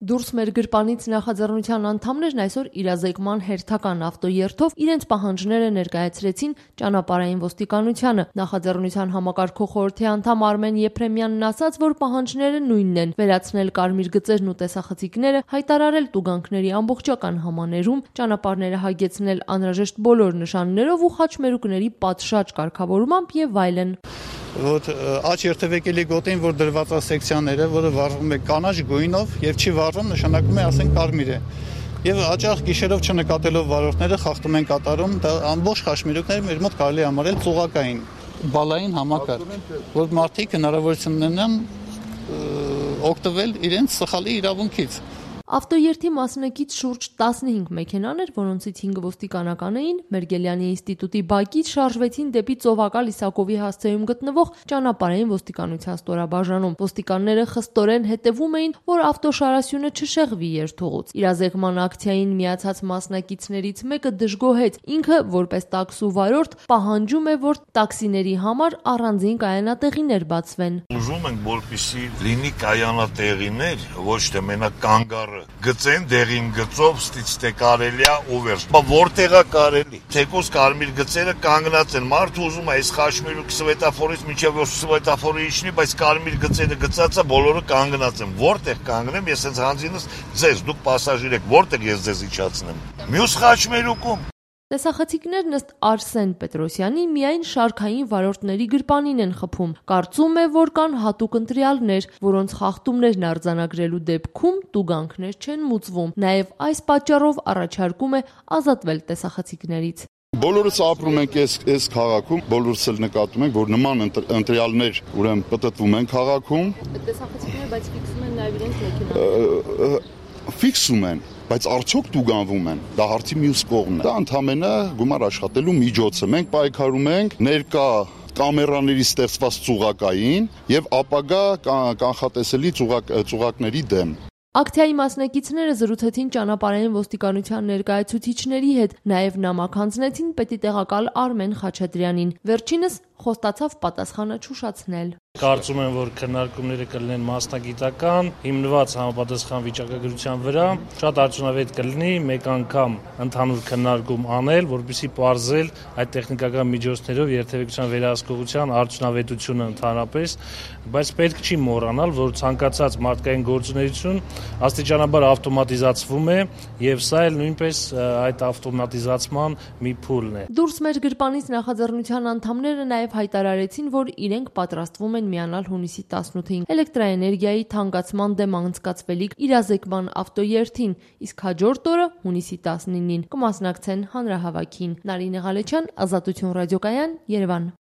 Դուրս մեր գրպանից նախաձեռնության անդամներն այսօր իրազեկման հերթական ավտոերթով իրենց պահանջները ներկայացրեցին ճանապարհային ոստիկանությանը։ Նախաձեռնության համակարգող խորհրդի անդամ Արմեն Եփրեմյանն ասաց, որ պահանջները նույնն են՝ վերացնել կարմիր գծերն ու տեսախցիկները, հայտարարել տուգանքների ամբողջական համաներում, ճանապարհները հագեցնել անհրաժեշտ բոլոր նշաններով ու խաչմերուկների պատշաճ կարգավորմամբ եւ այլն։ Որ աջ երթևեկելի գոտին, որ դրված է սեկցիաները, որը վարվում է կանաչ գույնով եւ չի վարվում, նշանակում է, ասենք, կարմիր է։ Եվ աճախ գիշերով չնկատելով վարորդները խախտում են կատարում, դա ամբողջ խաչմերուկները մեր մոտ կարելի է համարել ծուղակային, բալային համակարգ, որ մարդիկ հնարավորություն ունենան օգտվել իրենց սխալի իրավունքից։ Ավտոերթի մասնակից շուրջ 15 մեքենաներ, որոնցից 5 ոստիկանական էին, Մերգելյանի ինստիտուտի բակից շարժվեցին դեպի Ծովակալ Իսակովի հասցեում գտնվող ճանապարհային ոստիկանության ստորաբաժանում։ Ոստիկանները խստորեն հետևում էին, որ ավտոշարասյունը չշեղվի երթուղուց։ Իրազեկման ակցիային միացած մասնակիցներից մեկը դժգոհեց։ Ինքը, որպես տաքսու վարորդ, պահանջում է, որ տաքսիների համար առանձին կայանատեղիներ բացվեն։ Ուզում ենք, որպեսզի լինի կայանատեղիներ, ոչ թե մենակ կանգառ գծեն դեղին գծով ստից թե կարելի է ուվեր։ Որտեղ է կարելի։ Թեկուզ կարմիր գծերը կանգնած են։ Մարդը ուզում է այս խաչմերուկ սվետաֆորից մինչև որ սվետաֆորը իջնի, բայց կարմիր գծերը գծած է, բոլորը կանգնած են։ Որտեղ կանգնեմ, ես հենց հանձինս ձեզ, դուք պասաժիր եք, որտեղ ես ձեզ իջացնեմ։ Մյուս խաչմերուկում։ Տեսախցիկներն ըստ Արսեն Պետրոսյանի միայն շարքային վարորդների գրպանին են խփում։ Կարծում է, որ կան հատուկ ընտրյալներ, որոնց խախտումներն արձանագրելու դեպքում տուգանքներ չեն մուծվում։ Նաև այս պատճառով առաջարկում է ազատվել տեսախցիկներից։ Բոլորս ապրում ենք այս քաղաքում, բոլորս էլ նկատում ենք, որ նման ընտրյալներ ուրեմն պտտվում են քաղաքում։ Տեսախցիկները բայց ֆիքսում են նաև իրենց մեքենան։ Ֆիքսում են, բայց արդյոք տուգանվում են, դա հարցի մյուս կողմն է։ Դա ընդհանրապես գումար աշխատելու միջոց է։ Մենք պայքարում ենք ներկա կամերաների ստեղծված ծուղակային եւ ապագա կանխատեսելի ծուղակների դեմ։ Ակցիայի մասնակիցները զրուցեցին ճանապարհային ոստիկանության ներկայացուցիչների հետ, նաև նամակ հանձնեցին պետիտեղակալ Արմեն Խաչատրյանին։ Վերջինս խոստացավ պատասխանը չուշացնել։ Կարծում եմ, որ քննարկումները կլինեն մասնագիտական, հիմնված համապատասխան վիճակագրության վրա, շատ արդյունավետ կլինի մեկ անգամ ընդհանուր քննարկում անել, որպեսզի պարզել այդ տեխնիկական միջոցներով երթևեկության վերահսկողության արդյունավետությունը ընդհանրապես, բայց պետք չի մոռանալ, որ ցանկացած մարդկային գործունեություն աստիճանաբար ավտոմատիզացվում է, եւ սա էլ նույնպես այդ ավտոմատիզացման մի փուլն է։ Դուրս մեր գրպանից նախաձեռնության անդամները նաև հայտարարեցին, որ իրենք պատրաստվում են միանալ հունիսի 18-ին էլեկտրաէներգիայի թանկացման դեմ անցկացվելիք իրազեկման ավտոերթին, իսկ հաջորդ օրը հունիսի 19-ին կմասնակցեն հանրահավաքին։ Նարինե Ղալեչյան, Ազատություն ռադիոկայան, Երևան։